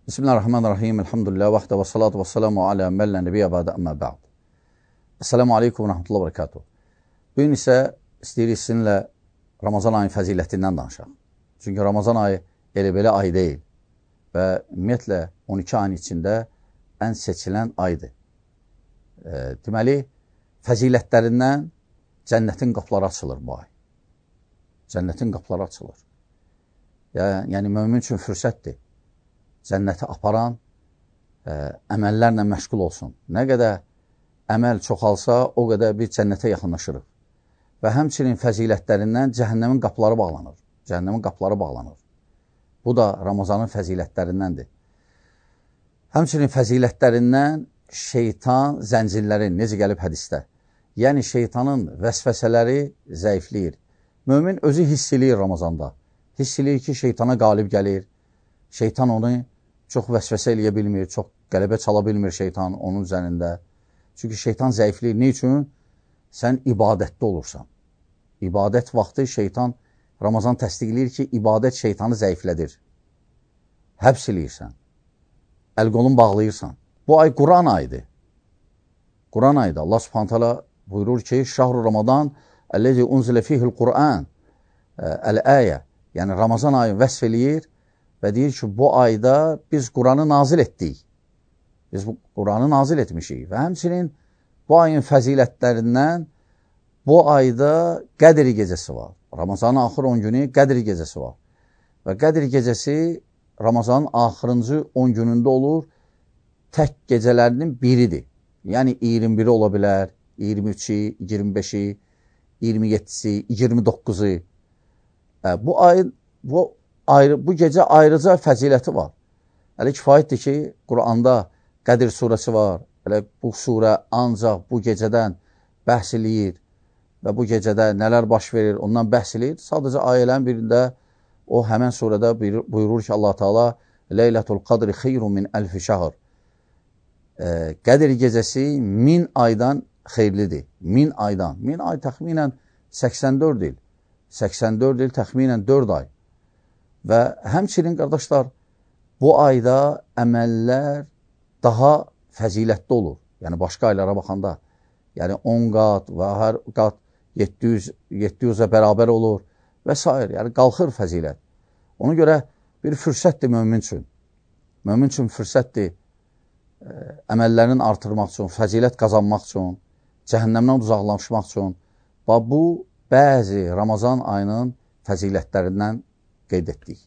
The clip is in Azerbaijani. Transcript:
Bismillahirrahmanirrahim. Elhamdülillah. Vaxtə və salatu və salamu alə məllə nəbiyyə bədə əmmə bə'd. Esselamu aleykum və rəhmətullah və bərəkatuhu. Bugün isə istəyirik sizinlə Ramazan ayının fəzilətindən danışaq. Çünki Ramazan ayı elə-belə ay deyil və ümumiyyətlə 12 ayın içində ən seçilən aydır. Deməli, fəzilətlərindən cənnətin qapıları açılır bu ay. Cənnətin qapıları açılır. Yəni, mömin üçün fürsətdir. Cənnəti aparan əməllərlə məşğul olsun. Nə qədər əməl çoxalsa, o qədər biz cənnətə yaxınlaşırıq. Və həmçinin fəzilətlərindən cəhənnəmin qapıları bağlanır. Cəhənnəmin qapıları bağlanır. Bu da Ramazanın fəzilətlərindəndir. Həmçinin fəzilətlərindən şeytan zəncirləri, necə gəlib hədisdə. Yəni, şeytanın vəsvəsələri zəifləyir. Mömin özü hiss eləyir Ramazanda. Hiss eləyir ki, şeytana qalib gəlir. Şeytan onu çox vəsvəsə eləyə bilmir, çox qələbə çala bilmir şeytan onun üzərində. Çünki şeytan zəifləyir. Ne üçün? Sən ibadətdə olursan. İbadət vaxtı şeytan, Ramazan təsdiqləyir ki, ibadət şeytanı zəiflədir. Həbs eləyirsən. Əl-qolun bağlayırsan. Bu ay Quran ayıdır. Quran ayıdır. Allah subhanət hala buyurur ki, Şahru Ramadan əlləzi unzilə fihil Quran əl-əyə. Yəni, Ramazan ayı vəsf eləyir və deyir ki, bu ayda biz Quranı nazil etdik. Biz bu Quranı nazil etmişik. Və həmçinin bu ayın fəzilətlərindən bu ayda Qədr gecəsi var. Ramazanın axır 10 günü Qədr gecəsi var. Və Qədr gecəsi Ramazanın axırıncı 10 günündə olur, tək gecələrinin biridir. Yəni 21-i ola bilər, 23-i, 25-i, 27-si, 29-u. Bu gecə ayrıca fəziləti var. Hələ kifayətdir ki, Quranda Qədir surəsi var. Hələ bu surə ancaq bu gecədən bəhs eləyir və bu gecədə nələr baş verir, ondan bəhs eləyir. Sadəcə ayələrin birində o həmən surədə buyurur ki, Allah Teala Leylətul Qadri xeyrun min əlfi şəhr. Qədir gecəsi 1000 aydan xeyirlidir. 1000 aydan. 1000 ay təxminən 84 il. 84 il təxminən 4 ay. Və həmçinin, qardaşlar, bu ayda əməllər daha fəzilətli olur. Yəni, başqa aylara baxanda. Yəni, 10 qat və hər qat 700-ə bərabər olur və s. Yəni, qalxır fəzilət. Ona görə bir fürsətdir mömin üçün. Mömin üçün fürsətdir əməllərini artırmaq üçün, fəzilət qazanmaq üçün, cəhənnəmdən uzaqlaşmaq üçün. Bu, bəzi Ramazan ayının fəzilətlərindən qeyd etdik.